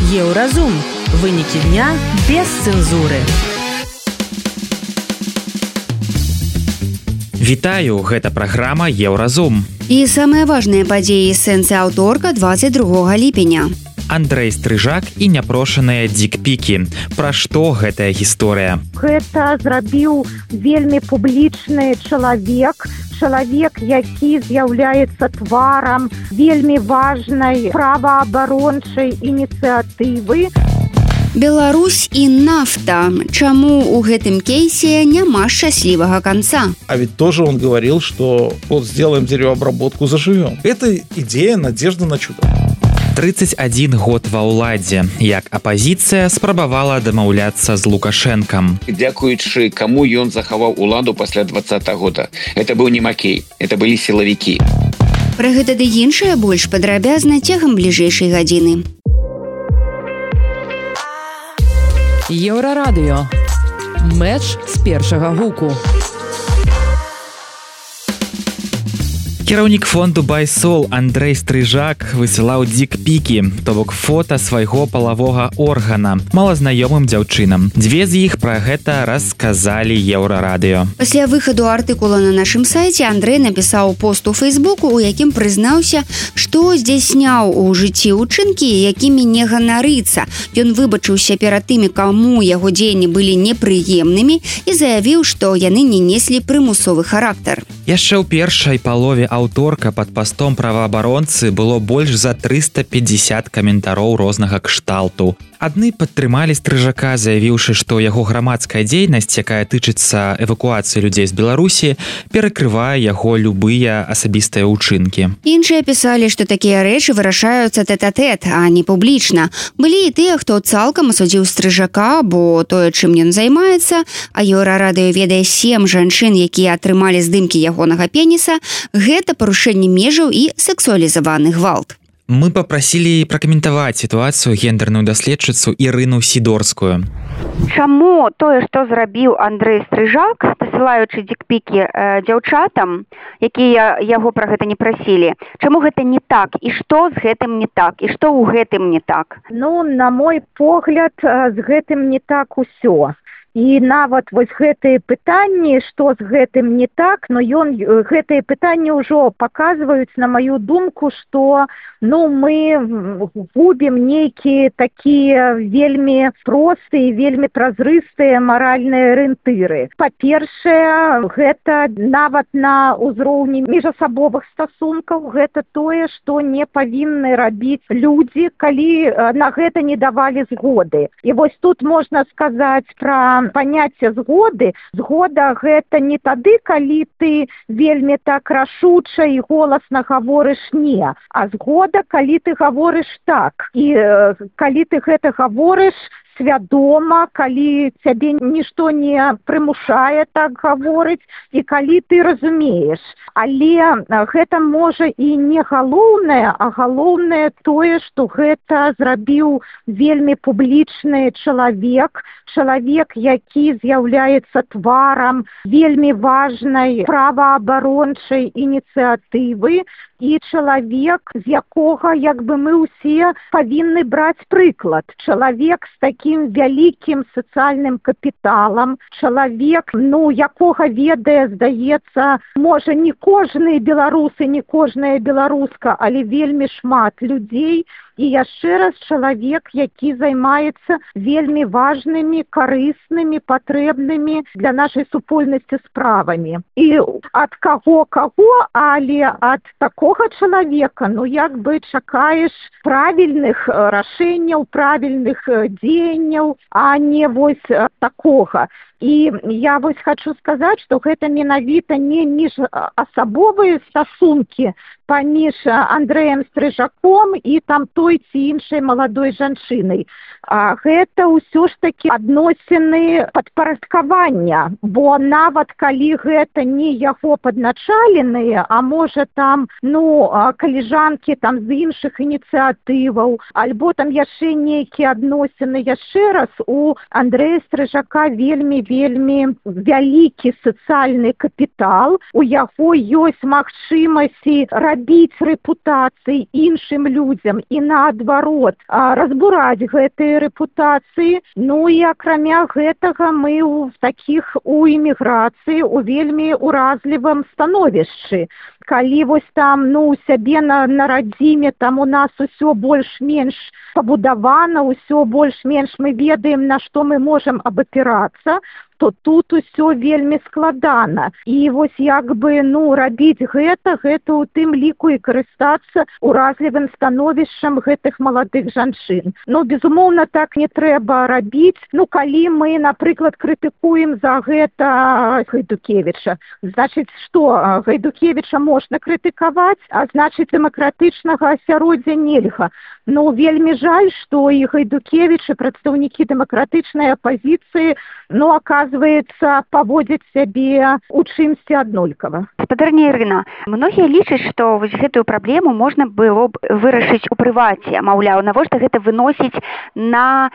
Еўразум. Вынікі дня без цэнзуры. Вітаю, гэта праграма Еўразум. І самыя важныя падзеі сэнсы аўторка 22 ліпеня. Андрэй Стрыжак і няпрошаныя дикпікі. Пра што гэтая гісторыя? Гэта зрабіў вельмі публічны чалавек, які з'яўляецца тварам вельмі важнай праваабарончай ініцыятывы. Беларусь і нафта. Чаму у гэтым кейсе няма шчаслівага канца? А ведь тоже он говорил, что вот сделаем деревообработку, заживем. Это идея, надежда на чудо. 31 год ва ўладзе, як апазіцыя спрабавала дамаўляцца з Лукашэнкам. Дзякуючы каму ён захаваў уладу пасля 20 года. Это быў не Макей, это былі сілавікі. Пра гэта ды іншае больш падрабязна цягам бліжэйшай гадзіны. Еўрарадыё. Мэч з першага гуку. Кіраўнік фонду Байсол Андрэй Стрыжак высылаў дикпікі, то бок фота свайго палавога органа малазнаёмым дзяўчынам. Дзве з іх пра гэта расказалі Еўрарадыё. Пасля выхаду артыкула на нашым сайце Андрэй напісаў пост у Фейсбуку, у якім прызнаўся, што здзяйсняў у жыцці ўчынкі, якімі не ганарыцца. Ён выбачыўся перад тымі, каму яго дзеянні былі непрыемнымі і заявіў, што яны не неслі прымусовы характар. Яшчэ ў першай палове аўторка пад пастом праваабаронцы было больш за 350 каментароў рознага кшталту. Адны падтрымалі Стрыжака, заявіўшы, што яго грамадская дзейнасць, якая тычыцца эвакуацыі людзей з Беларусі, перакрывае яго любыя асабістыя ўчынкі. Іншыя пісалі, што такія рэчы вырашаюцца тэт-а-тэт, а не публічна. Былі і тыя, хто цалкам асудзіў Стрыжака, бо тое, чым ён займаецца, а Еўрарадыё ведае 7 жанчын, якія атрымалі здымкі ягонага пеніса, гэта парушэнне межаў і сексуалізаваны гвалт. Мы папрасілі пракаментаваць сітуацыю гендерную даследчыцу Ірыну Сідорскую. Чаму тое, што зрабіў Андрэй Стрыжак, дасылаючы дикпікі дзяўчатам, якія яго пра гэта не прасілі, чаму гэта не так, і што з гэтым не так, і што ў гэтым не так? На мой погляд, з гэтым не так усё. І нават вось гэтыя пытанні, што з гэтым не так, гэтыя пытанні ўжо паказваюць, на маю думку, што мы губім нейкія такія вельмі простыя, вельмі празрыстыя маральныя арыентыры. Па-першае, гэта нават на ўзроўні міжасабовых стасункаў, гэта тое, што не павінны рабіць людзі, калі на гэта не давалі згоды. І вось тут можна сказаць пра паняцце згоды. Згода гэта не тады, калі ты вельмі так рашуча і голасна гаворыш не, а згода, калі ты гаворыш так. І калі ты гэта гаворыш свядома, калі цябе нішто не прымушае так гаворыць, і калі ты разумееш. Але гэта можа і не галоўнае, а галоўнае тое, што гэта зрабіў вельмі публічны чалавек, які з'яўляецца тварам вельмі важнай праваабарончай ініцыятывы, і чалавек, з якога мы ўсе павінны браць прыклад. Чалавек з такім вялікім сацыяльным капіталам, чалавек, якога ведае, здаецца, можа, не кожны беларусы, не кожная беларуска, але вельмі шмат людзей. І яшчэ раз чалавек, які займаецца вельмі важнымі, карыснымі, патрэбнымі для нашай супольнасці справамі. І ад каго, але ад такога чалавека, чакаеш правільных рашэнняў, правільных дзеянняў, а не вось такога. І я хочу сказаць, што гэта менавіта не міжасабовыя стасункі паміж Андрэем Стрыжаком і той ці іншай маладой жанчынай. А гэта ўсё ж такі адносіны падпарадкавання, бо нават калі гэта не яго падначаленыя, а можа каліжанкі з іншых ініцыятываў, альбо яшчэ нейкія адносіны, яшчэ раз у Андрэя Стрыжака вельмі вельмі вялікі сацыяльны капітал, у яго ёсць магчымасці рабіць рэпутацыі іншым людзям і наадварот разбураць гэтыя рэпутацыі. Ну і акрамя гэтага мы у эміграцыі у вельмі уразлівым становішчы. Калі вось там, у сябе на радзіме, там у нас усё больш-менш пабудавана, усё больш-менш мы ведаем, на што мы можам абапірацца, то тут усё вельмі складана. І вось рабіць гэта у тым ліку і карыстацца уразлівым становішчам гэтых маладых жанчын. Безумоўна, так не трэба рабіць. Калі мы, напрыклад, крытыкуем за гэта Гайдукевіча, значыць, што Гайдукевіча можна крытыкаваць, а значыць, дэмакратычнага асяроддзя нельга. Вельмі жаль, што і Гайдукевіч, і прадстаўнікі дэмакратычнай апазіцыі, оказывается, паводзяць сябе у чымсьці аднолькава. Спадарня Ірына, многія лічаць, што вось гэтую праблему можна было б вырашыць у прываце. Маўляў, навошта гэта выносіць на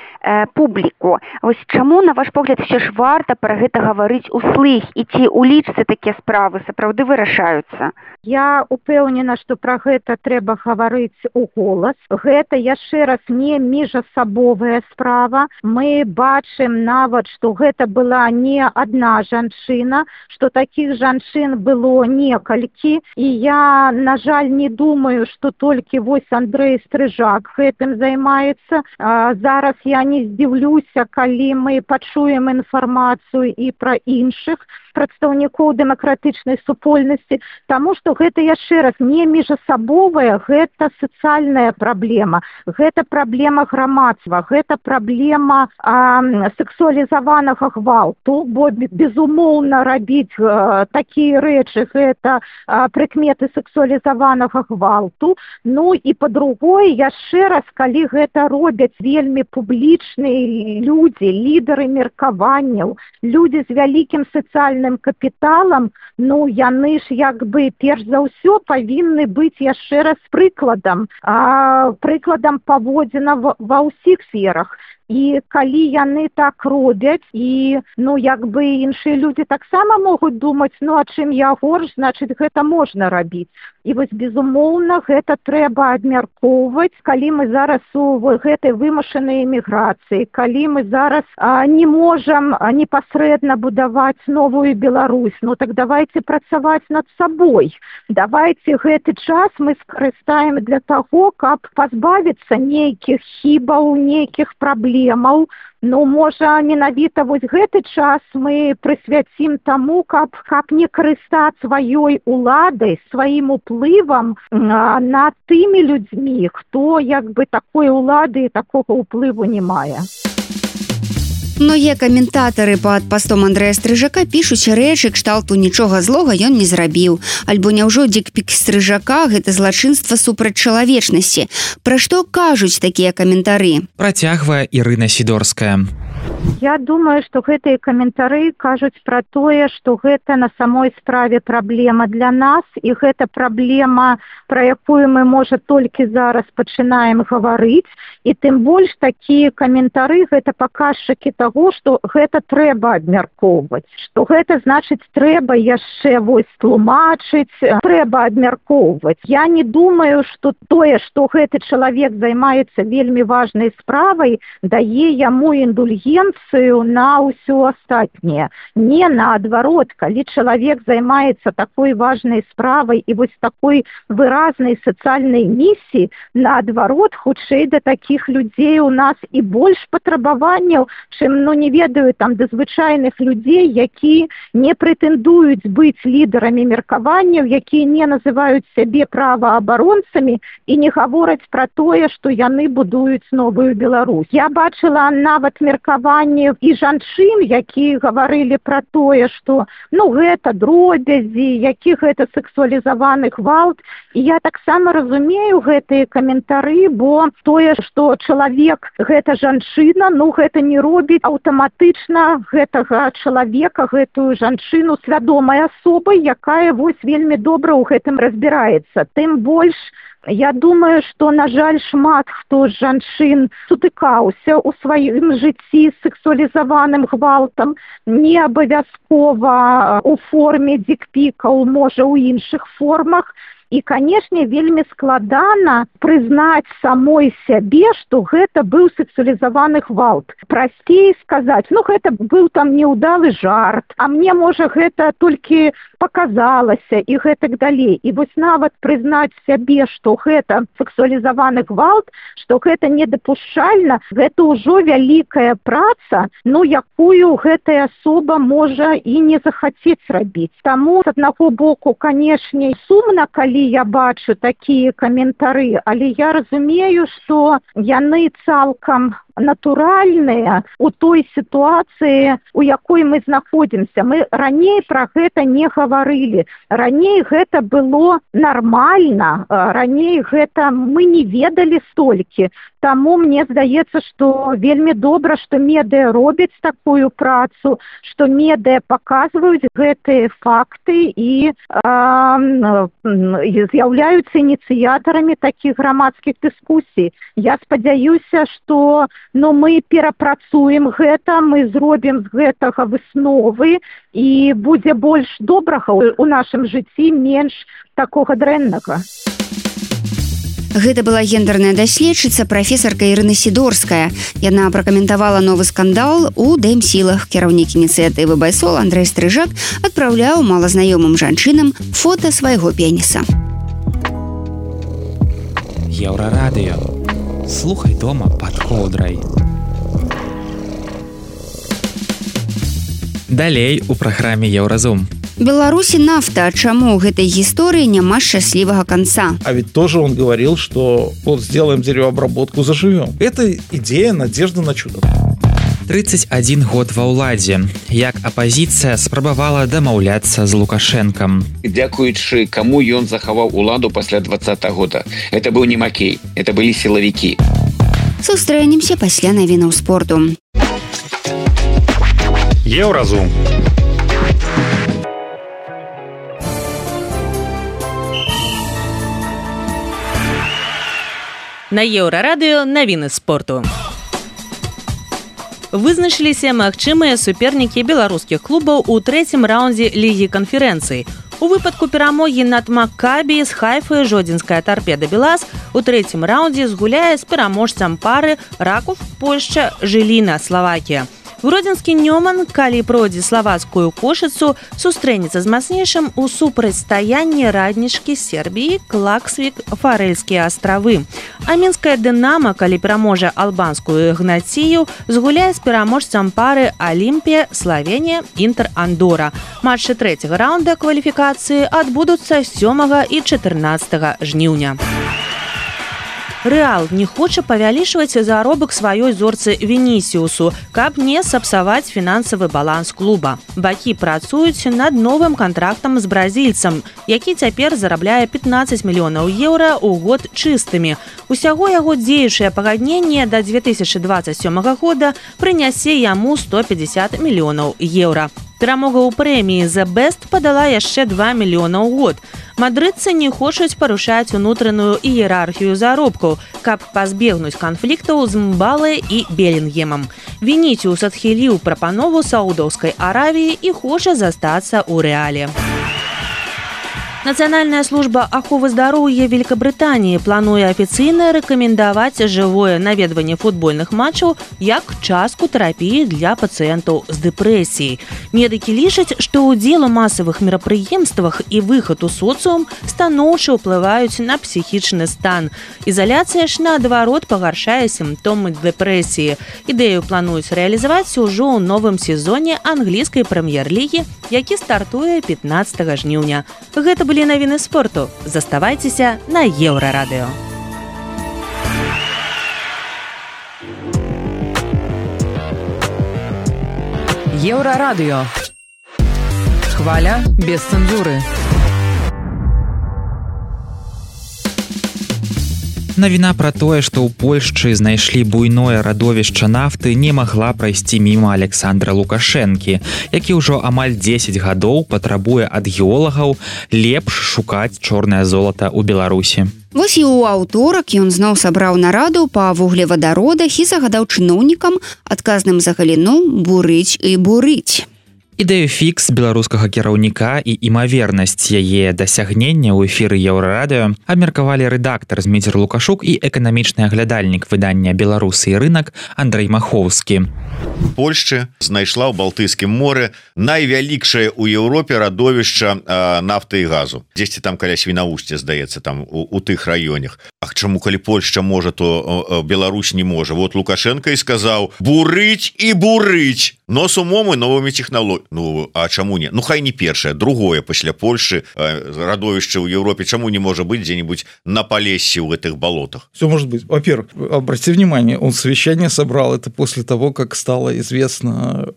публіку? Вось чаму, на ваш погляд, все ж варта пра гэта гаварыць услых, і ці ў лічцы такія справы сапраўды вырашаюцца? Я упэўнена, што пра гэта трэба гаварыць у голас. Гэта, яшчэ раз, не міжасабовая справа. Мы бачым нават, што гэта была не адна жанчына, што такіх жанчын было некалькі. І я, на жаль, не думаю, што толькі вось Андрэй Стрыжак гэтым займаецца. Зараз я не здзіўлюся, калі мы пачуем інфармацыю і пра іншых прадстаўнікоў дэмакратычнай супольнасці, таму што гэта, яшчэ раз, не міжасабовая, гэта сацыяльная праблема, гэта праблема грамадства, гэта праблема сексуалізаванага гвалту, бо, безумоўна, рабіць такія рэчы, гэта прыкметы сексуалізаванага гвалту. І па-другое, яшчэ раз, калі гэта робяць вельмі публічныя людзі, лідары меркаванняў, людзі з вялікім сацыяльным капіталам, яны ж перш за ўсё павінны быць яшчэ раз прыкладам паводзіна ва ўсіх сферах. І калі яны так робяць, і іншыя людзі таксама могуць думаць, а чым я горш, значыць, гэта можна рабіць. І вось, безумоўна, гэта трэба абмяркоўваць, калі мы зараз у гэтай вымушанай эміграцыі, калі мы зараз не можам непасрэдна будаваць новую Беларусь, так давайте працаваць над сабой. Давайте гэты час мы скарыстаем для таго, каб пазбавіцца нейкіх хібаў, нейкіх праблем. Можа, менавіта вось гэты час мы прысвяцім таму, каб не карыстаць сваёй уладай, сваім уплывам над тымі людзьмі, хто такой улады і такога ўплыву не мае. Многія каментатары пад пастом Андрэя Стрыжака пішуць рэчы кшталту «Нічога злога ён не зрабіў», альбо «Няўжо дикпік Стрыжака гэта злачынства супраць чалавечнасці». Пра што кажуць такія каментары? Працягвае Ірына Сідорская. Я думаю, што гэтыя каментары кажуць пра тое, што гэта на самой справе праблема для нас, і гэта праблема, пра якую мы, можа, толькі зараз пачынаем гаварыць, і тым больш такія каментары гэта паказчыкі таго, што гэта трэба абмяркоўваць, што гэта значыць трэба яшчэ вось тлумачыць, трэба абмяркоўваць. Я не думаю, што тое, што гэты чалавек займаецца вельмі важнай справай, дае яму індульгенцыю на ўсё астатняе. Не, наадварот, калі чалавек займаецца такой важнай справай і вось такой выразнай сацыяльнай місіі, наадварот, хутчэй да такіх людзей у нас і больш патрабаванняў, чым, не ведаю, там, да звычайных людзей, які не прэтэндуюць быць лідарамі меркаванняў, якія не называюць сябе праваабаронцамі і не гавораць пра тое, што яны будуюць новую Беларусь. Я бачыла нават меркаванні і жанчын, якія гаварылі пра тое, што, гэта дробязі, які гэта сексуалізаваны гвалт. І я таксама разумею гэтыя каментары, бо тое, што чалавек, гэта жанчына, гэта не робіць аўтаматычна гэтага чалавека, гэтую жанчыну свядомай асобай, якая вось вельмі добра ў гэтым разбіраецца. Тым больш, я думаю, што, на жаль, шмат хто з жанчын сутыкаўся ў сваім жыцці з сексуалізаваным гвалтам, не абавязкова у форме дикпікаў, можа, у іншых формах. І, канешне, вельмі складана прызнаць самой сябе, што гэта быў сексуалізаваны гвалт. Прасцей сказаць, гэта быў там неўдалы жарт, а мне, можа, гэта толькі паказалася і гэтак далей. І вось нават прызнаць сябе, што гэта сексуалізаваны гвалт, што гэта недапушчальна, гэта ўжо вялікая праца, якую гэтая асоба можа і не захацець рабіць. Таму, з аднаго боку, канешне, сумна, калі я бачу такія каментары, але я разумею, што яны цалкам натуральныя у той сітуацыі, у якой мы знаходзімся. Мы раней пра гэта не гаварылі. Раней гэта было нармальна, раней гэта мы не ведалі столькі. Таму мне здаецца, што вельмі добра, што медыа робяць такую працу, што медыа паказваюць гэтыя факты і з'яўляюцца ініцыятарамі такіх грамадскіх дыскусій. Я спадзяюся, што мы перапрацуем гэта, мы зробім з гэтага высновы і будзе больш добрага ў нашым жыцці, менш такога дрэннага. Гэта была гендерная даследчыца, прафесарка Ірына Сідорская. Яна пракаментавала новы скандал у ДМ-сілах. Кіраўнік ініцыятывы «Байсол» Андрэй Стрыжак адпраўляў малазнаёмым жанчынам фота свайго пеніса. Еўрарадыё. Слухай дома пад коўдрай. Далей у праграме «Еўразум». Беларусі нафта, чаму ў гэтай гісторыі няма шчаслівага канца? А ведь тоже он говорил, что сделаем деревообработку, заживем. Это идея, надежда на чудо. 31 год ва ўладзе. Як апазіцыя спрабавала дамаўляцца з Лукашэнкам. Дзякуючы каму ён захаваў уладу пасля 20 года. Это быў не Макей, это былі сілавікі. Сустрэнемся пасля навінаў спорту. Еўразум. На Еўрарадыё навіны спорту. Вызначыліся магчымыя супернікі беларускіх клубаў у трэцім раўндзе лігі канферэнцыі. У выпадку перамогі над Маккабі з Хайфы жодзінская Торпеда Белаз у трэцім раўндзе згуляе з пераможцам пары Раков Польшча, Жыліна Славакія. Гродзенскі Нёман, калі пройдзе славацкую Кошыцу, сустрэнецца з мацнейшым у супрацьстаянні Раднічкі Сербіі, Клаксвік, Фарэльскія астравы. А мінская Дынама, калі пераможа албанскую Ігнацію, згуляе з пераможцам пары Алімпія, Славенія, Інтер Андора. Матчы трэцяга раўнда кваліфікацыі адбудуцца 7 і 14 жніўня. Рэал не хоча павялічваць заробак сваёй зорцы Вінісіусу, каб не сапсаваць фінансавы баланс клуба. Бакі працуюць над новым кантрактам з бразільцам, які цяпер зарабляе 15 мільёнаў еўра ў год чыстымі. Усяго яго дзеючае пагадненне да 2027 года прынясе яму 150 мільёнаў еўра. Перамога ў прэміі «The Best» падала яшчэ 2 мільёна ў год. Мадрыдцы не хочуць парушаць унутраную іерархію заробкаў, каб пазбегнуць канфліктаў з Мбале і Белінгемам. Вінісіус адхіліў прапанову Саудаўскай Аравіі і хоча застацца ў Рэале. Нацыянальная служба аховы здароўя Великабрытаніі плануе афіцыйна рэкамендаваць жывое наведванне футбольных матчаў як частку тэрапіі для пацыентаў з дэпрэсіяй. Медыкі лічаць, што ўдзел у масавых мерапрыемствах і выхад у соцыум станоўча ўплываюць на псіхічны стан. Ізаляцыя ж, наадварот, пагаршае сімптомы дэпрэсіі. Ідэю плануюць рэалізаваць ужо ў новым сезоне англійскай прэм'ер-лігі, які стартуе 15 жніўня. Гэта былі навіны спорту. Заставайцеся на Еўрарадыё. Еўрарадыё. Хваля без цэнзуры. Навіна пра тое, што ў Польшчы знайшлі буйное радовішча нафты, не магла прайсці міма Александра Лукашэнкі, які ўжо амаль 10 гадоў патрабуе ад геолагаў лепш шукаць чорнае золата ў Беларусі. Вось і ў аўторак ён зноў сабраў нараду па вуглевадародах і загадаў чыноўнікам, адказным за галіну, бурыць і бурыць. Ідэю фікс беларускага кіраўніка і імавернасць яе дасягнення ў эфіры Еўрарадыё абмеркавалі рэдактар Зміцер Лукашук і эканамічны аглядальнік выдання «Беларусы і рынак» Андрэй Махоўскі. Польшча знайшла ў Балтыйскім моры найвялікшае ў Еўропе радовішча нафты і газу. Дзесьці там каля Свінаўсця, здаецца, там у тых раёнах. А чаму, калі Польшча можа, то Беларусь не можа? Вот Лукашенко і сказаў: бурыць і бурыць, но с умом і новымі тэхналогіямі. Ну, а чаму не? Ну, хай не першае, другое пасля Польшчы радовішча ў Европе. Чаму не можа быть где-нибудь на Полессі в этих болотах? Все может быть. Во-первых, обратите внимание, он совещание собрал это после того, как стало известно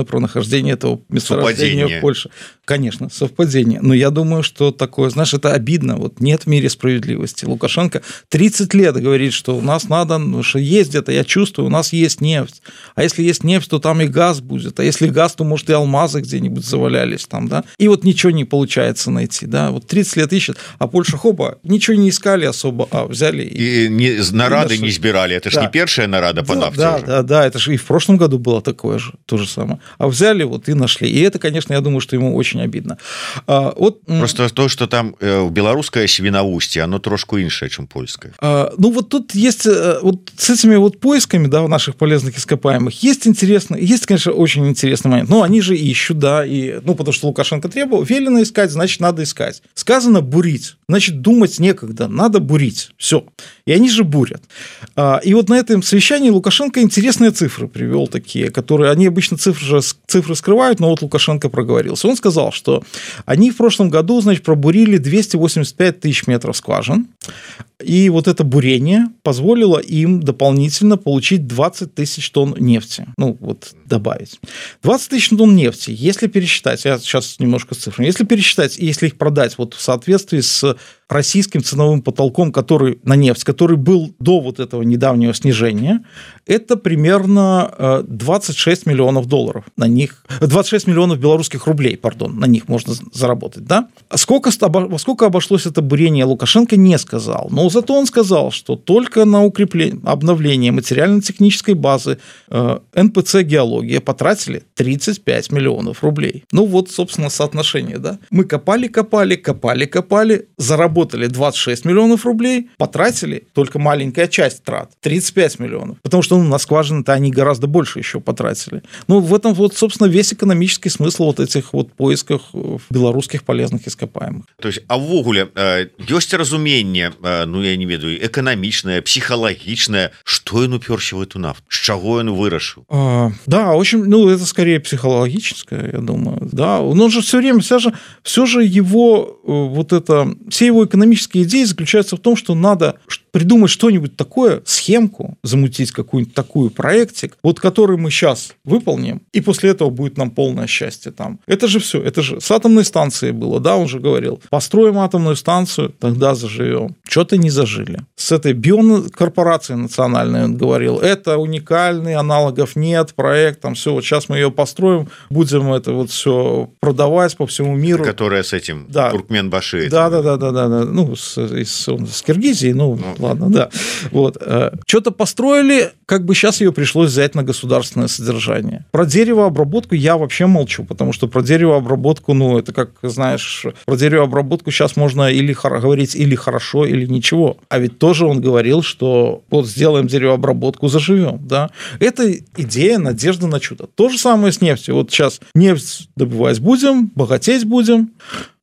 про нахождение этого месторождения в Польше. Конечно, совпадение. Но я думаю, что такое, знаешь, это обидно. Вот нет в мире справедливости. Лукашенко 30 лет говорит, что у нас надо, что есть где-то, я чувствую, у нас есть нефть. А если есть нефть, то там и газ будет. А если газ, то, может, и алмазы где-нибудь завалялись там, да? И вот ничего не получается найти, да? Вот 30 лет ищет, а Польша, хопа, ничего не искали особо, а взяли и нарады не сбирали. Это же не первая нарада по нафте. Да, это же и в прошлом году было такое же, то же самое. А взяли вот и нашли. И это, конечно, я думаю, что ему очень обидно. Просто то, что там белорусское Свиноустье, оно трошку иншее, чем польское. Ну, вот тут есть, вот с этими вот поисками, да, наших полезных ископаемых, есть, конечно, очень интересный момент. Ну, они же ищут, да, и, ну, потому что Лукашенко требовал, велено искать, значит, надо искать. Сказано бурить, значит, думать некогда, надо бурить, все. И они же бурят. И вот на этом совещании Лукашенко интересные цифры привел такие, которые, они обычно цифры скрывают, но вот Лукашенко проговорился. Он сказал, что они в прошлом году, значит, пробурили 285 тысяч метров скважин, и вот это бурение позволило им дополнительно получить 20 тысяч тонн нефти. Ну, вот добавить. 20 тысяч тонн нефти, если пересчитать, я сейчас немножко с цифрами, если пересчитать, и если их продать вот в соответствии с российским ценовым потолком, который на нефть, который был до вот этого недавнего снижения, это примерно 26 миллионов долларов на них, 26 миллионов белорусских рублей, пардон, на них можно заработать, да? Во сколько обошлось это бурение, Лукашенко не сказал, но зато он сказал, что только на укрепление, обновление материально-технической базы НПЦ «Геология» потратили 35 миллионов рублей. Ну вот, собственно, соотношение, да? Мы копали, заработали 26 миллионов рублей, потратили только маленькая часть трат, 35 миллионов. Потому что на скважины-то они гораздо больше еще потратили. Ну, в этом вот, собственно, весь экономический смысл вот этих вот поисках белорусских полезных ископаемых. То есть, а ввогуле, ёсць разуменне, ну, я не ведаю, эканамічнае, психологичное, что он уперся в эту нафту? С чего он вырашил? Да, очень, ну, это скорее психологическое, я думаю. Да, он же все время, все же его, вот это, все его экономические идеи заключаются в том, что надо придумать что-нибудь такое, схемку, замутить какую-нибудь такую проектик, вот который мы сейчас выполним, и после этого будет нам полное счастье там. Это же все, это же с атомной станцией было, да, он же говорил, построим атомную станцию, тогда заживем. Что-то не зажили. С этой биокорпорацией национальной он говорил, это уникальный, аналогов нет, проект, там все, вот сейчас мы ее построим, будем это вот все продавать по всему миру. Которая с этим, да. Туркменбаши. Да, ну, с Киргизии, ну, ладно, да. Вот. Что-то построили, как бы сейчас ее пришлось взять на государственное содержание. Про деревообработку я вообще молчу, потому что про деревообработку, ну, это как, знаешь, про деревообработку сейчас можно или говорить или хорошо, или ничего. А ведь тоже он говорил, что вот сделаем деревообработку, заживем, да. Это идея, надежда на чудо. То же самое с нефтью. Вот сейчас нефть добывать будем, богатеть будем,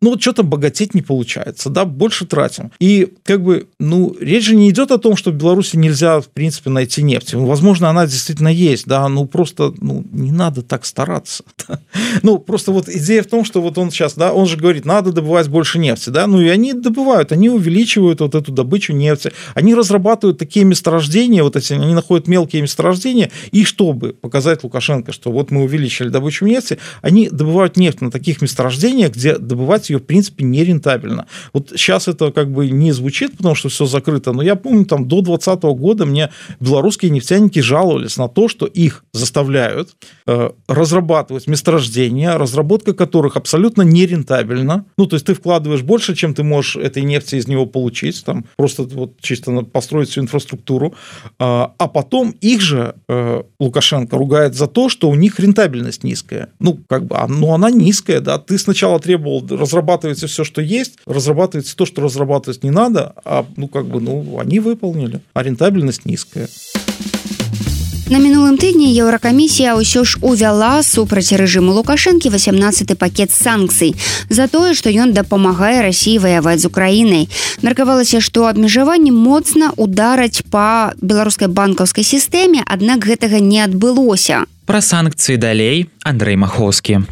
ну, вот что-то богатеть не получается, да, больше тратим. И, как бы, ну, речь же не идет о том, что в Беларуси нельзя, в принципе, найти нефть. Возможно, она действительно есть, да, ну, просто, ну, не надо так стараться. Да? Ну, просто вот идея в том, что вот он сейчас, да, он же говорит, надо добывать больше нефти, да, ну, и они добывают, они увеличивают вот эту добычу нефти, они разрабатывают такие месторождения, вот эти, они находят мелкие месторождения, и чтобы показать Лукашенко, что вот мы увеличили добычу нефти, они добывают нефть на таких месторождениях, где добывать ее, в принципе, нерентабельно. Вот сейчас это как бы не звучит, потому что все закрыто, но я помню, там до 2020 года мне белорусские нефтяники жаловались на то, что их заставляют разрабатывать месторождения, разработка которых абсолютно нерентабельна. Ну, то есть ты вкладываешь больше, чем ты можешь этой нефти из него получить, там просто вот чисто построить всю инфраструктуру, а потом их же Лукашенко ругает за то, что у них рентабельность низкая. Ну, как бы, ну, она низкая, да, ты сначала требовал, разрабатывается все, что есть, разрабатывается то, что разрабатывать не надо, а, ну, как бы, ну, они выполнили, а рентабельность низкая. На мінулым тыдні Еўракамісія ўсё ж увяла супраць рэжыму Лукашэнкі 18-й пакет санкцый за тое, што ён дапамагае Расіі ваяваць з Украінай. Меркавалася, што абмежаванні моцна удараць па беларускай банкаўскай сістэме, аднак гэтага не адбылося. Пра санкцыі далей Андрей Маховскі.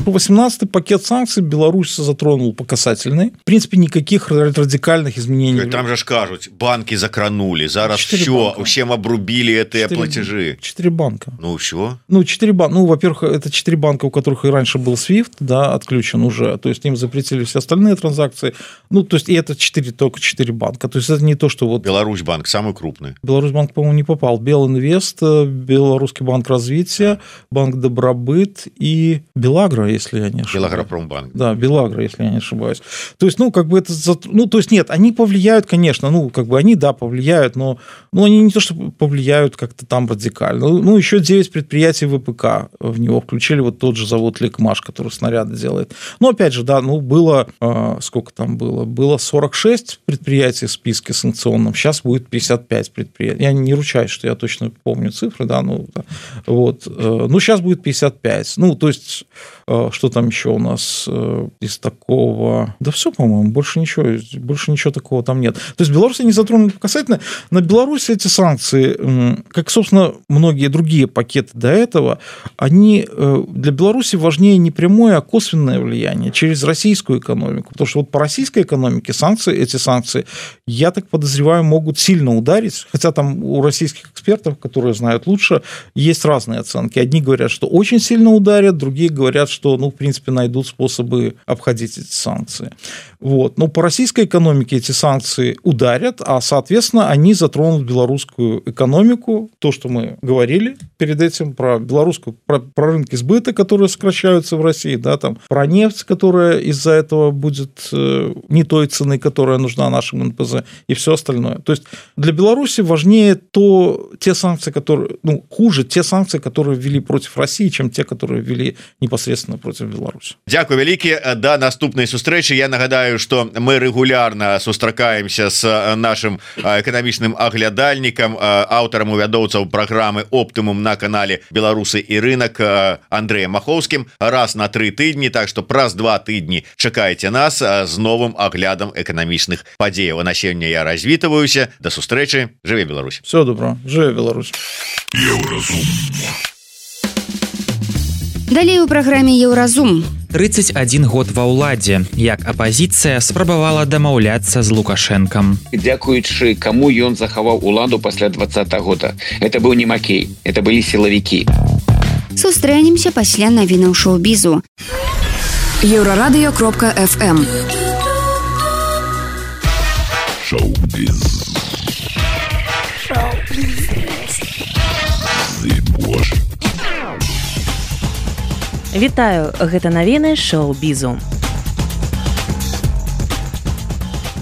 18-й пакет санкций Беларусь затронул по касательной. В принципе, никаких радикальных изменений. Там же кажут, банки закранули, зараз все, всем обрубили эти платежи. 4 банка. Ну, все? Ну, 4 банка. Ну, во-первых, это 4 банка, у которых и раньше был SWIFT, да, отключен уже. То есть, им запретили все остальные транзакции. Ну, то есть, и это только 4 банка. То есть, это не то, что вот... Беларусьбанк самый крупный. Беларусьбанк, по-моему, не попал. Белинвест, Белорусский банк развития, Банк Добробыт и Белагро, если я не ошибаюсь. Белагропромбанк. Да, Белагро, если я не ошибаюсь. То есть, ну, как бы это... Ну, то есть, нет, они повлияют, конечно, ну, как бы они, да, повлияют, но они не то, что повлияют как-то там радикально. Ну, еще 9 предприятий ВПК в него включили, вот тот же завод Лекмаш, который снаряды делает. Но, опять же, да, ну, было... Сколько там было? Было 46 предприятий в списке санкционном, сейчас будет 55 предприятий. Я не ручаюсь, что я точно помню цифры, да, ну, вот. Ну, сейчас будет 55. Ну, то есть... Что там еще у нас из такого? Да все, по-моему, больше ничего такого там нет. То есть Беларусь не затронули касательно. На Беларуси эти санкции, как, собственно, многие другие пакеты до этого, они для Беларуси важнее не прямое, а косвенное влияние через российскую экономику. Потому что вот по российской экономике эти санкции, я так подозреваю, могут сильно ударить. Хотя там у российских экспертов, которые знают лучше, есть разные оценки. Одни говорят, что очень сильно ударят, другие говорят, что, ну, в принципе, найдут способы обходить эти санкции. Вот. Но по российской экономике эти санкции ударят, а, соответственно, они затронут белорусскую экономику. То, что мы говорили перед этим про белорусскую, про рынки сбыта, которые сокращаются в России, да, там, про нефть, которая из-за этого будет не той цены, которая нужна нашим НПЗ, и все остальное. То есть для Беларуси важнее те санкции, которые, ну, хуже те санкции, которые ввели против России, чем те, которые ввели непосредственно против Беларуси. Дякую вялікі. Да наступнай сустрэчы. Я нагадаю, что мы регулярно сустракаемся с нашим эканамічным аглядальнікам, аўтарам і вядоўцаў праграмы «Оптымум» на канале «Беларусы і рынок» Андреем Маховскім раз на 3 тыдні, так что праз 2 тыдні чакайце нас з новым аглядам эканамічных падзеяў. На сёння я развітваюся. До сустрэчы. Жыве Беларусь. Всего доброго. Жыве Беларусь. Далей у праграме Еўразум. 31 год ва ўладзе, як апазіцыя спрабавала дамаўляцца з Лукашэнкам. Дзякуючы каму ён захаваў уладу пасля 2020 года. Это быў не Макей, это былі сілавікі. Сустрэнемся пасля навінаў шоу-бізу. Еўрарадыё.фм Шоу-біз. Вітаю, гэта навіны шоу-бізу.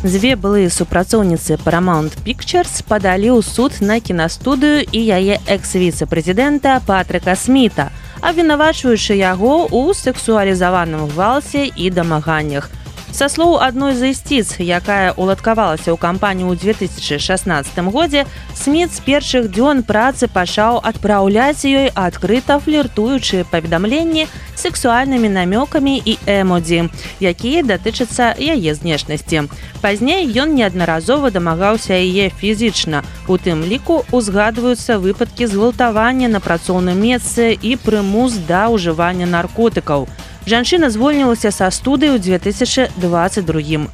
Дзве былыя супрацоўніцы Paramount Pictures падалі ў суд на кінастудыю і яе экс-віцэ-прэзідэнта Патрыка Сміта, абвінавачваючы яго ў сексуалізаваным гвалце і дамаганнях. Са слоў адной з ісціц, якая уладкавалася ў кампанію ў 2016 годзе, Сміт з першых дзён працы пачаў адпраўляць ёй адкрыта фліртуючыя паведамленні з сексуальнымі намёкамі і эмодзі, якія датычацца яе знешнасці. Пазней ён неаднаразова дамагаўся яе фізічна. У тым ліку узгадваюцца выпадкі згвалтавання на працоўным месцы і прымус да ўжывання наркотыкаў. Жанчына звольнілася са студыі ў 2022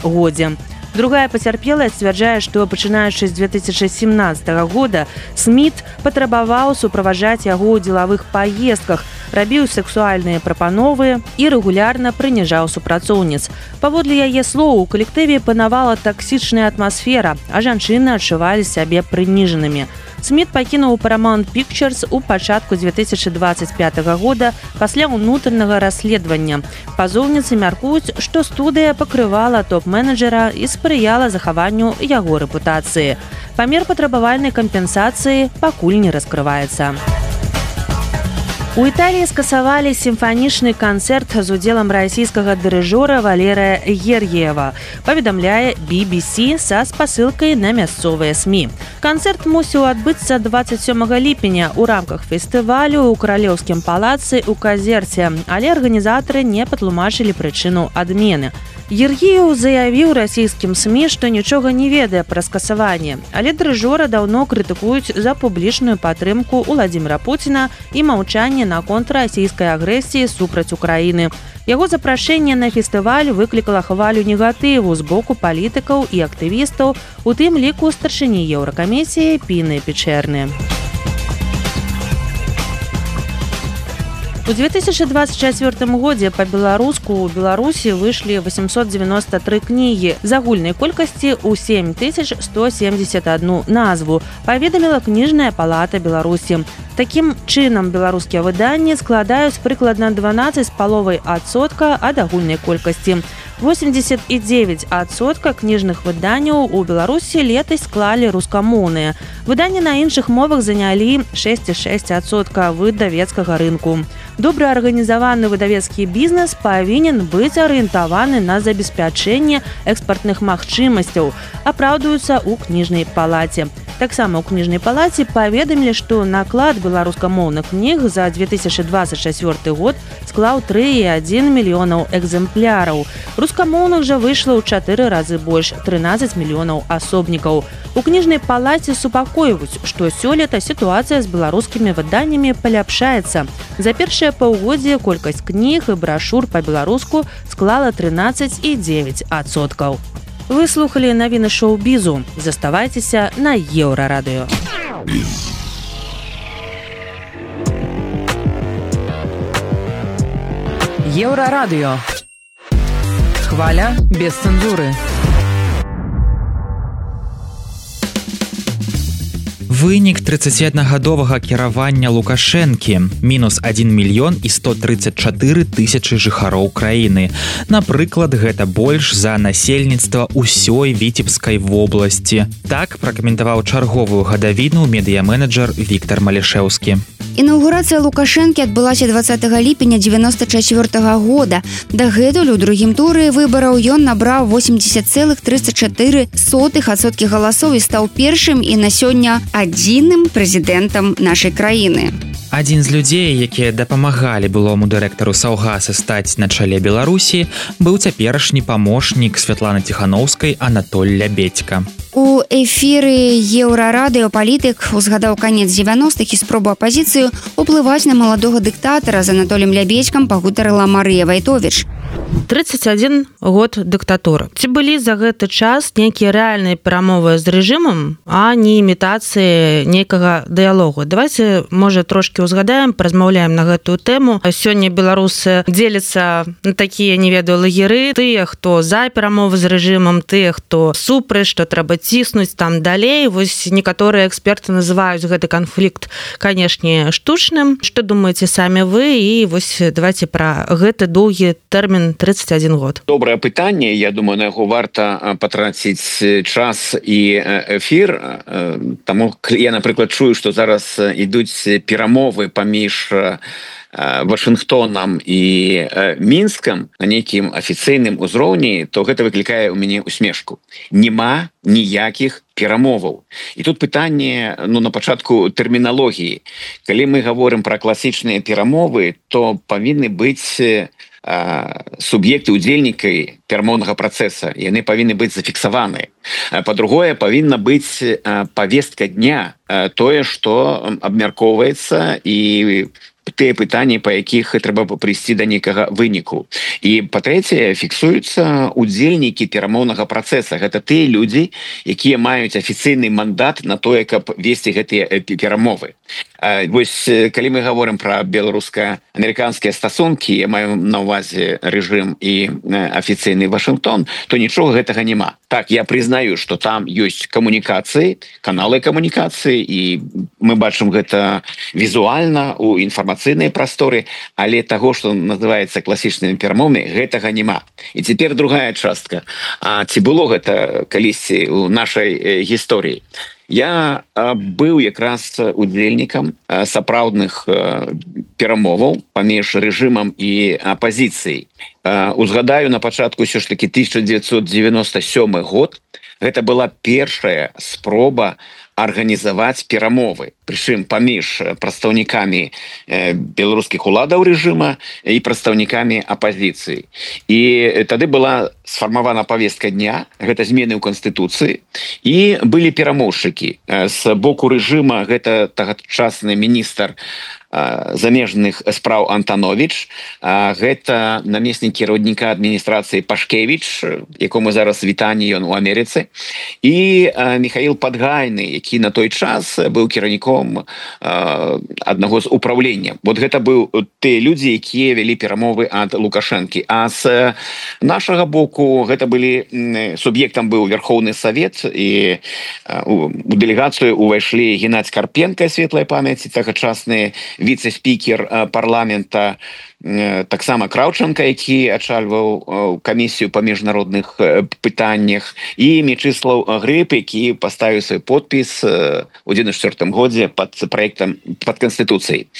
годзе. Другая пацярпелая сцвярджае, што пачынаючы з 2017 года Сміт патрабаваў суправаджаць яго ў дзелавых паездках, рабіў сексуальныя прапановы і рэгулярна прыніжаў супрацоўніц. Паводле яе слоў, у калектыве панавала таксічная атмасфера, а жанчыны адчувалі сябе прыніжанымі. Сміт пакінуў Paramount Pictures у пачатку 2025 года пасля ўнутранага расследавання. Пазоўніцы мяркуюць, што студыя пакрывала топ-менеджера і спрыяла захаванню яго рэпутацыі. Памер патрабавальнай кампенсацыі пакуль не раскрываецца. У Італіі скасавалі сімфанічны канцэрт з удзелам расійскага дырыжора Валерыя Гергіева, паведамляе BBC са спасылкай на мясцовыя СМІ. Канцэрт мусіў адбыцца 27 ліпеня ў рамках фестывалю ў Каралеўскім палацы ў Казерце, але арганізатары не патлумачылі прычыну адмены. Гергіеў заявіў расійскім СМІ, што нічога не ведае пра скасаванне, але дырыжора даўно крытыкуюць за публічную падтрымку Уладзіміра Пуціна і маўчанне наконт расійскай агрэсіі супраць Украіны. Яго запрашэнне на фестываль выклікала хвалю негатыву з боку палітыкаў і актывістаў, у тым ліку старшыні Еўракамісіі Піны Печэрны. У 2024 годзе па-беларуску ў Беларусі выйшлі 893 кнігі з агульнай колькасці ў 7171 назву, паведаміла кніжная палата Беларусі. Такім чынам беларускія выданні складаюць прыкладна 12,5% ад агульнай колькасці. 89% кніжных выданняў у Беларусі летась склалі рускамоўныя. Выданні на іншых мовах занялі 6,6% выдавецкага рынку. Добра арганізаваны выдавецкі бізнес павінен быць арыентаваны на забеспячэнне экспартных магчымасцяў, апраўдваюцца ў кніжнай палаце. Таксама ў кніжнай палаце паведамілі, што наклад беларускамоўных кніг за 2024 год склаў 3,1 мільёнаў экземпляраў. Рускамоўных жа выйшла ў 4 разы больш, 13 мільёнаў асобнікаў. У кніжнай палаце супакойваюць, што сёлета сітуацыя з беларускімі выданнямі паляпшаецца. За першае паўгоддзе колькасць кніг і брашур па-беларуску склала 13,9%. Вы слухали навіны шоу-бізу. Заставайцеся на Еўрарадыё. Еўрарадыё. Хваля без цэнзуры. Вынік 31гадовага кіравання Лукашэнкі – мінус 1 мільён і 134 тысячы жыхароў краіны. Напрыклад, гэта больш за насельніцтва ўсёй Віцебскай вобласці. Так пракаментаваў чарговую гадавіну медыяменеджер Віктор Малішэўскі. Інаўгурацыя Лукашэнкі адбылася 20 ліпеня 1994 года. Дагэтуль у другім туры выбараў ён набраў 80,34% галасоў і стаў першым і на сёння адзіным прэзідэнтам нашай краіны. Адзін з людзей, якія дапамагалі былому дырэктару Саўгаса стаць на чале Беларусі, быў цяперашні памочнік Святланы Ціханаўскай Анатоль Лябедзька. У эфіры Еўрарадыё палітык узгадаў канец 90-х і спробу апазіцыю уплываць на маладога дыктатара з Анатолем Лябедзькам пагутарыла Марыя Вайтовіч. 31 год дыктатуры. Ці былі за гэты час нейкія рэальныя перамовы з рэжымам, а не імітацыі нейкага дыялогу? Давайте, можа, трошки узгадаем, паразмаўляем на гэтую тэму. Сёння беларусы дзеляцца на такія, не ведаю, лагеры. Тыя, хто за перамовы з рэжымам, тыя, хто супраць, што трэба ціснуць там далей. Вось некаторыя эксперты называюць гэты канфлікт, канешне, штучным. Што думаеце самі вы? І вось давайте пра гэты доўгі тэрмін 31 год. Добрае пытанне. Я думаю, на яго варта патраціць час і эфір. Таму я, напрыклад, чую, што зараз ідуць перамовы паміж Вашынгтонам і Мінскам на нейкім афіцыйным узроўні, то гэта выклікае ў мяне усмешку. Нема ніякіх перамоваў. І тут пытанне, на пачатку тэрміналогіі. Калі мы гаворым пра класічныя перамовы, то павінны быць суб'екты удзельнікай перамоўнага працэса, яны павінны быць зафіксаваныя. Па-другое, павінна быць павестка дня, тое, што абмяркоўваецца і тыя пытанні, па якіх трэба прыйсці да нейкага выніку. І па-трэцяе, фіксуюцца удзельнікі перамоўнага працэса. Гэта тыя людзі, якія маюць афіцыйны мандат на тое, каб весці гэтыя перамовы. Вось, калі мы гаворым пра беларуска-амерыканскія стасункі, я маю на ўвазе рэжым і афіцыйны Вашынгтон, то нічога гэтага няма. Так, я прызнаю, што там ёсць камунікацыі, каналы камунікацыі, і мы бачым гэта візуальна у інфармацыйнай прасторы, але таго, што называецца класічнымі перамовамі, гэтага няма. І цяпер другая частка. А ці было гэта калісьці ў нашай гісторыі? Я быў якраз удзельнікам сапраўдных перамоваў паміж рэжымам і апазіцыяй. Узгадаю, на пачатку ўсё ж такі 1997 год гэта была першая спроба арганізаваць перамовы, прычым паміж прадстаўнікамі беларускіх уладаў рэжыма і прадстаўнікамі апазіцыі. І тады была сфармавана павестка дня, гэта змены ў Канстытуцыі, і былі перамоўшчыкі. З боку рэжыма гэта тагачасны міністр замежных спраў Антанович, гэта намеснік кіраўніка адміністрацыі Пашкевіч, якому зараз вітанне ён у Амерыцы, і Михаил Падгайны, які на той час быў кіраўніком аднаго з управлення. Вот гэта быў тыя людзі, якія вялі перамовы ад Лукашэнкі. А з нашага боку гэта былі суб'ектам быў Верхоўны Савет, і у дэлегацыю увайшлі Геннадзь Карпенка, светлай памяці, тагачасны віцэ-спікер парламента, таксама Краўчанка, які ачальваў камісію па міжнародных пытаннях, і Мечыслаў Грыб, які паставіў свой подпіс у 1994 годзе пад праектам, пад Канстытуцыяй.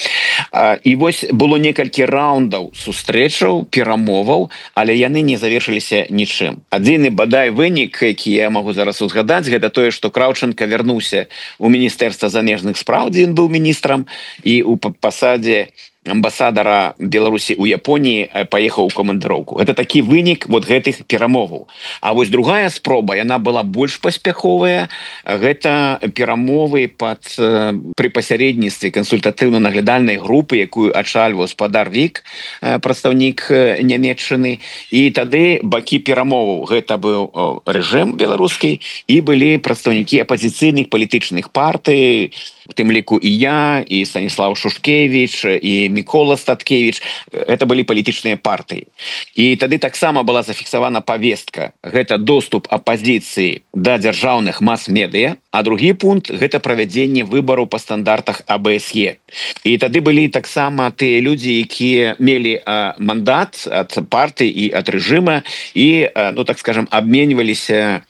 І вось было некалькі раундаў сустрэчаў, перамоваў, але яны не завершыліся нічым. Адзіны бадай вынік, які я магу зараз узгадаць, гэта тое, што Краўчанка вярнуўся у Міністэрства замежных спраў, дзе ён быў міністрам, і у пасадзе амбасадара Беларусі ў Японіі паехаў у камандыроўку. Гэта такі вынік вот гэтых перамоваў. А вось другая спроба, яна была больш паспяховая. Гэта перамовы пры пасярэдніцтве кансультатыўна-наглядальнай групы, якую ачальваў спадар Вік, прадстаўнік Нямецчыны. І тады бакі перамоваў, гэта быў рэжым беларускі, і былі прадстаўнікі апазіцыйных палітычных партый, у тым ліку і я, і Станіслав Шушкевіч, і Мікола Статкевіч. Гэта былі палітычныя партыі. І тады таксама была зафіксавана павестка. Гэта доступ апазіцыі да дзяржаўных мас-медыя, а другі пункт – гэта правядзенне выбараў па стандартах АБСЕ. І тады былі таксама тыя людзі, якія мелі мандат ад партыі і ад рэжыма, і, ну так скажем, обменьваліся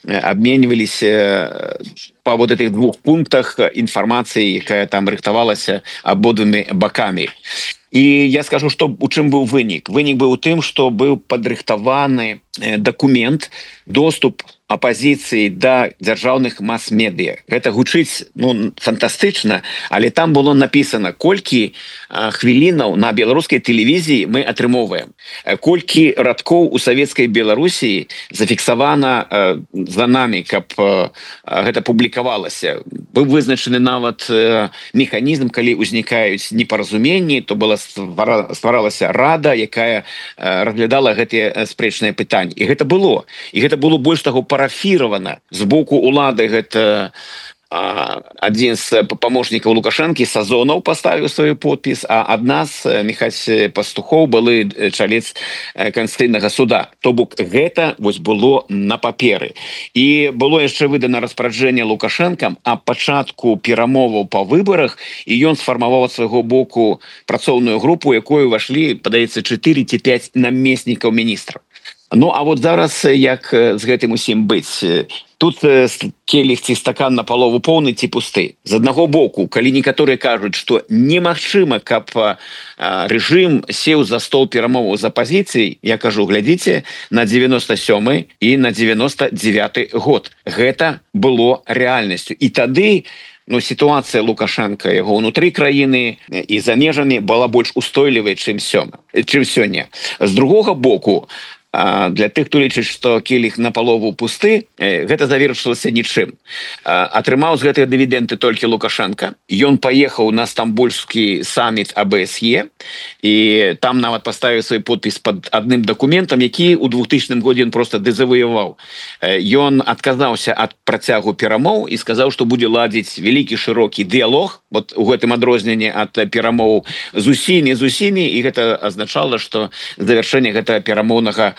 па вот этих двух пунктах інфармацыі, якая там рыхтавалася абодвумі бакамі. І я скажу, што у чым быў вынік. Вынік быў у тым, што быў падрыхтаваны дакумент, доступ апазіцыі да дзяржаўных мас-медыя. Гэта гучыць, ну, фантастычна, але там было напісана, колькі хвілінаў на беларускай тэлевізіі мы атрымоўваем. Колькі радкоў у савецкай Беларусі зафіксавана за намі, каб гэта публікавалася. Быў вызначаны нават механізм, калі ўзнікаюць непаразуменні, то была стваралася рада, якая разглядала гэтыя спрэчныя пытанні. І гэта было. І гэта было больш таго парафіравана з боку улады. Гэта адзін з памочнікаў Лукашэнкі, Сазонаў, паставіў свой подпіс, а ад нас Міхась Пастухоў, былы чалец Канстытуцыйнага суда. То бок гэта вось было на паперы. І было яшчэ выдана распараджэнне Лукашэнкам а пачатку перамоваў па выбарах, і ён сфармаваў ад свайго боку працоўную групу, якой увайшлі, падаецца, 4 ці 5 намеснікаў міністраў. Ну, а вот зараз як з гэтым усім быць? Тут келіх ці стакан напалову поўны ці пусты. З аднаго боку, калі некаторыя кажуць, што немагчыма, каб рэжым сеў за стол перамоваў з апазіцыяй, я кажу, глядзіце на 97 і на 99 год. Гэта было рэальнасцю. І тады сітуацыя Лукашэнка, яго ўнутры краіны і за межамі была больш устойлівай, чым сёння. З другога боку, для тых, хто лічыць, што келіх напалову пусты, гэта завершылася нічым. Атрымаў з гэтыя дывідэнды толькі Лукашенко. Ён паехаў на стамбульскі саміт АБСЕ і там нават паставіў свой подпіс пад адным дакументам, які ў 2000 годзе ён просто дэзавояваў. Ён адказаўся ад працягу перамоў і сказаў, што будзе ладзіць вялікі шырокі дыялог, вот у гэтым адрозненні ад перамоў з усімі, і гэта азначала, што завяршэнне гэтага перамоўнага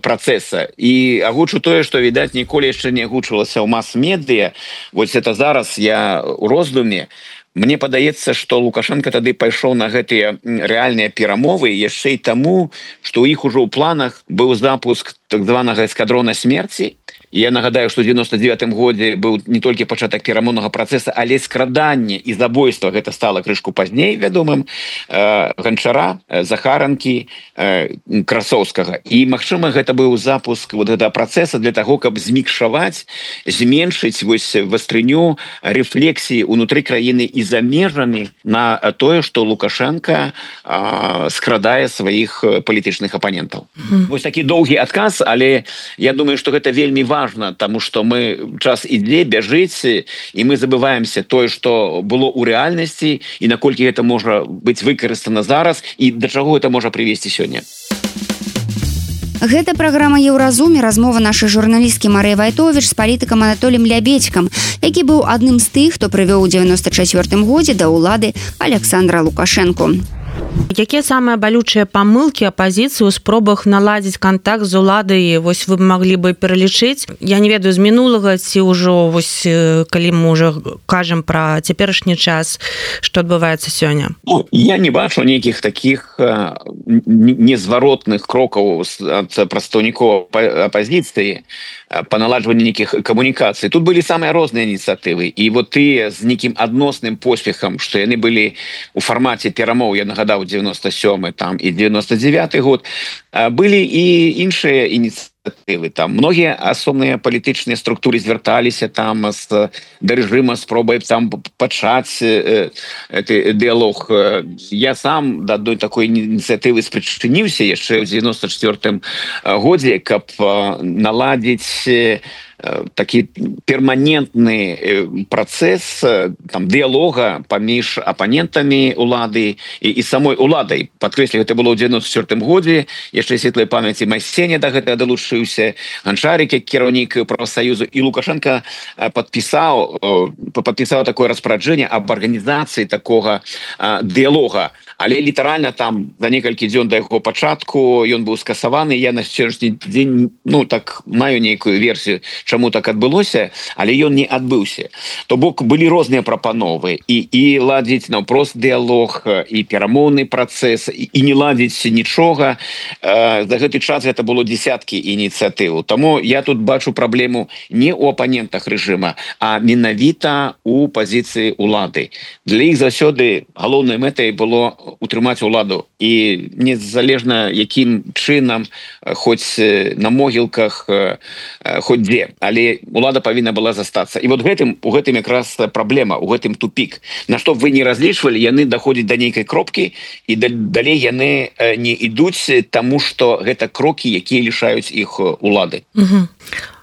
працэса. І агучу тое, што, відаць, ніколі яшчэ не агучвалася ў мас-медыа. Вось это зараз я ў роздуме. Мне падаецца, што Лукашенко тады пайшоў на гэтыя рэальныя перамовы яшчэ і таму, што ў іх ужо ў планах быў запуск так званага эскадрона смерці. Я нагадаю, што ў 99 годзе быў не толькі пачатак перамоўнага працэса, але скраданне і забойства, гэта стала крышку пазней вядомым, Ганчара, Захаранкі, Красоўскага. І, магчыма, гэта быў запуск вот гэтага працэса для таго, каб змікшаваць, зменшыць вось вастрыню рэфлексіі ўнутры краіны і за межамі на тое, што Лукашенко скрадае сваіх палітычных апанентаў. Вось такі доўгі адказ, але я думаю, што гэта вельмі важно, тому что мы час ідзе, бяжыць, і мы забываемся тое, што было ў рэальнасці і наколькі гэта можа быць выкарыстана зараз і да чаго гэта можа прывесці сёння. Гэта праграма «Еўразум» і размова нашай журналісткі Марыі Вайтовіч з палітыкам Анатоліем Лябедзькам, які быў адным з тых, хто прывёў у 94 годзе да ўлады Александра Лукашенко. Якія самыя балючыя памылкі апазіцыі ў спробах наладзіць кантакт з уладай, вось вы маглі бы пералічыць? Я не ведаю, з мінулага ці ўжо, вось, калі мы ўжо кажам пра цяперашні час, што адбываецца сёння? Я не бачу нейкіх такіх незваротных крокаў ад прадстаўнікоў апазіцыі па наладжванню нейкіх камунікацый. Тут былі самыя розныя ініцыятывы. І вот тыя з нейкім адносным поспехам, што яны былі ў фармаце перамоў, я нагадаў, 97 там і 99 год, былі і іншыя ініцыятывы. Там многія асобныя палітычныя структуры звярталіся там да рэжыма спробай там пачаць дыялог. Я сам да адной такой ініцыятывы спрычыніўся яшчэ ў 94 годзе, каб наладзіць такі перманентны працэс там дыялога паміж апанентамі улады і самой уладай. Падкрэслю, гэта было ў 94 годзе, яшчэ светлай памяці Майсеня да гэтага далучыўся, Ганчарик як кіраўнік прафсаюзу, і Лукашенко падпісаў такое распараджэнне аб арганізацыі такога дыялога. Але літаральна там за некалькі дзён да яго пачатку ён быў скасаваны. Я на сённяшні дзень, так маю нейкую версію, чаму так адбылося, але ён не адбыўся. То бок былі розныя прапановы і ладзіць наўпрост дыялог, і перамоўны працэс, і не ладзіць нічога. За гэты час гэта было десяткі ініцыятыў. Таму я тут бачу праблему не ў апанентах рэжыма, а менавіта у пазіцыі улады. Для іх заўсёды галоўнай мэтай было утрымаць уладу, і незалежна якім чынам, хоць на могілках, хоць дзе, але улада павінна была застацца. І вот у гэтым якраз праблема, у гэтым тупік. На што б вы не разлічвалі, яны даходзяць да нейкай кропкі, і далей яны не ідуць, таму што гэта крокі, якія лішаюць іх улады.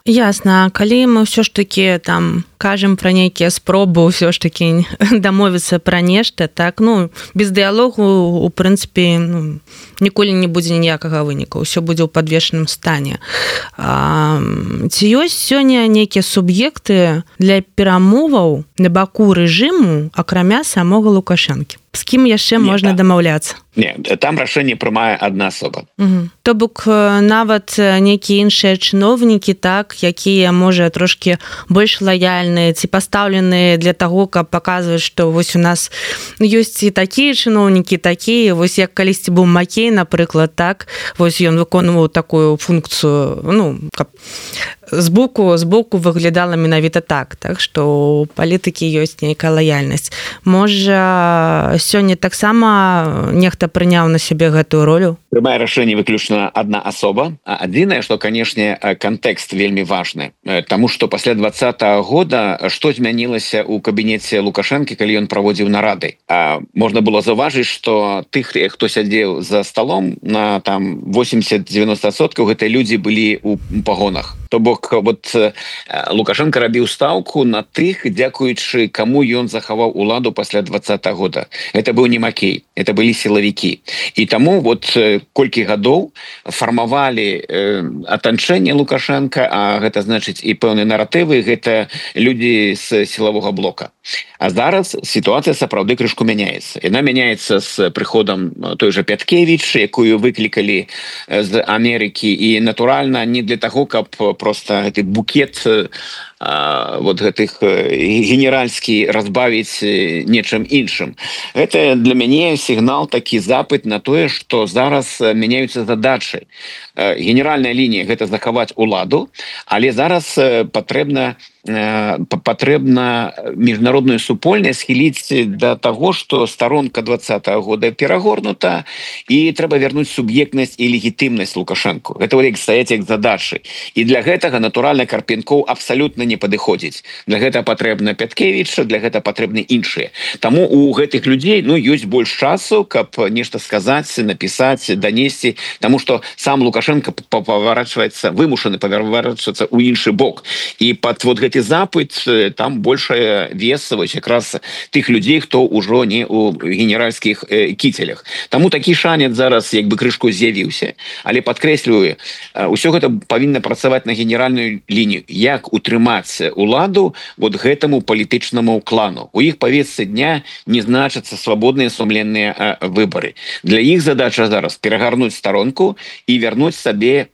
Ясна. Калі мы ўсё ж такі там кажам пра нейкія спробы ўсё ж такі дамовіцца пра нешта, так, без дыялогу, у прынцыпе, ніколі не будзе ніякага выніку, ўсё будзе ў падвешаным стане. Ці ёсць сёння нейкія суб'екты для перамоваў на баку рэжыму, акрамя самога Лукашэнкі? З кім яшчэ можна дамаўляцца? Не, там рашэнне прымае адна асоба. То бок нават нейкія іншыя чыноўнікі, так, якія, можа, трошкі больш лаяльныя ці пастаўленыя для таго, каб паказваць, што вось у нас ёсць і такія чыноўнікі, такія, вось як калісьці быў Макей, напрыклад, так, вось ён выконваў такую функцыю, каб збоку выглядала менавіта так што у палітыкі ёсць нейкая лаяльнасць. Можа, сёння таксама нехта прыняў на сябе гэтую ролю? Прымае рашэнне выключна адна асоба. Адзінае, што, канешне, кантэкст вельмі важны, таму што пасля 2020 года што змянілася ў кабінеце Лукашэнкі, калі ён праводзіў нарады. Можна было заўважыць, што тых, хто сядзеў за сталом, на там 80-90% гэтыя людзі былі ў пагонах. То бок, Лукашенко рабіў стаўку на тых, дзякуючы каму ён захаваў уладу пасля 2020 года. Это быў не Макей, это былі сілавікі. І таму колькі гадоў фармавалі атачэнне Лукашенко, а гэта значыць і пэўныя наратывы, гэта людзі з сілавога блока. А зараз сітуацыя сапраўды крышку мяняецца. Яна мяняецца з прыходам той жа Пяткевіч, якую выклікалі з Амерыкі, і натуральна не для таго, каб просто гэты букет гэтых генеральскі разбавіць нечым іншым. Гэта для мяне сігнал, такі запыт на тое, што зараз мяняюцца задачы. Генеральная лінія — гэта захаваць уладу, але зараз патрэбна міжнародную супольнасць схіліць да таго, што старонка 2020 года перагорнута, і трэба вярнуць суб'ектнасць і легітымнасць Лукашэнку. Гэта стаяць як задачы. І для гэтага, натуральна, Карпенкоў абсалютна не падыходзіць. Для гэта патрэбна Пяткевіч, для гэта патрэбны іншыя. Таму у гэтых людзей ёсць больш часу, каб нешта сказаць, напісаць, данесці, таму што сам Лукашенко вымушаны паварачвацца ў іншы бок. І пад гэты запыт там большая вес якраз тых людзей, хто ўжо не ў генеральскіх кіцелях. Таму такі шанец зараз крышку з'явіўся. Але падкрэслюю, усё гэта павінна працаваць на генеральную лінію. Як утрымаць уладу гэтаму палітычнаму клану? У іх павестцы дня не значацца свабодныя сумленныя выбары. Для іх задача зараз перагарнуць старонку і вярнуць сабе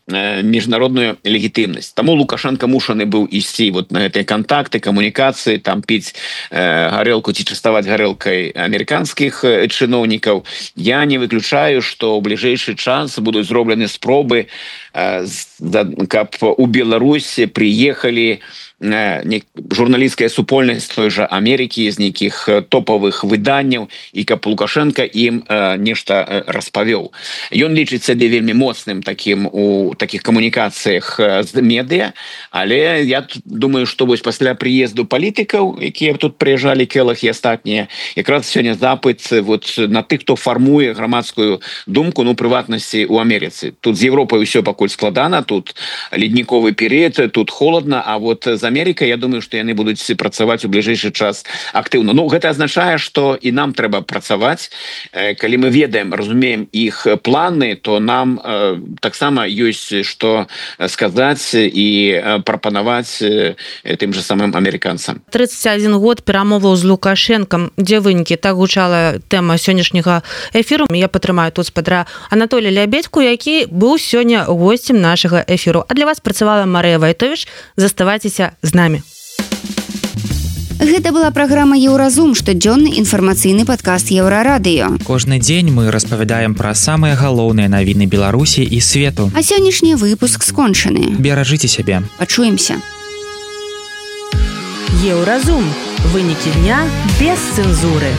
міжнародную легітымнасць. Таму Лукашенко мушаны быў ісці на гэтыя кантакты, камунікацыі, там піць гарэлку ці частаваць гарэлкай амерыканскіх чыноўнікаў. Я не выключаю, што ў бліжэйшы час будуць зроблены спробы, каб у Беларусі прыехалі журналісцкая супольнасць той жа Амерыкі з нейкіх топавых выданняў, і каб Лукашенко ім нешта распавёў. Ён лічыць сябе вельмі моцным такім у такіх камунікацыях з медыа, але я думаю, што пасля прыезду палітыкаў, якія тут прыязджалі, Келах і астатнія, якраз сёння запыт на тых, хто фармуе грамадскую думку, прыватнасці ў Амерыцы. Тут з Европай усё пакуль складана, тут ледніковы перыяд, тут холодна, а з Амерыкай, я думаю, што яны будуць працаваць у бліжэйшы час актыўна. Гэта азначае, што і нам трэба працаваць. Калі мы ведаем, разумеем іх планы, то нам таксама ёсць што сказаць і прапанаваць тым жа самым амерыканцам. 31 год перамоваў з Лукашэнкам. Дзе вынікі? Так гучала тэма сённяшняга эфіру. Я падтрымаю тут спадра Анатолія Лябедьку, які быў сёння госцем нашага эфіру. А для вас працавала Марыя Вайтовіч. Заставайцеся з намі. Гэта была праграма «Еўразум», штодзённы інфармацыйны падкаст Еўрарадыё. Кожны дзень мы распавядаем пра самыя галоўныя навіны Беларусі і свету. А сённяшні выпуск скончаны. Беражыце сябе. Пачуемся. Еўразум. Вынікі дня без цэнзуры.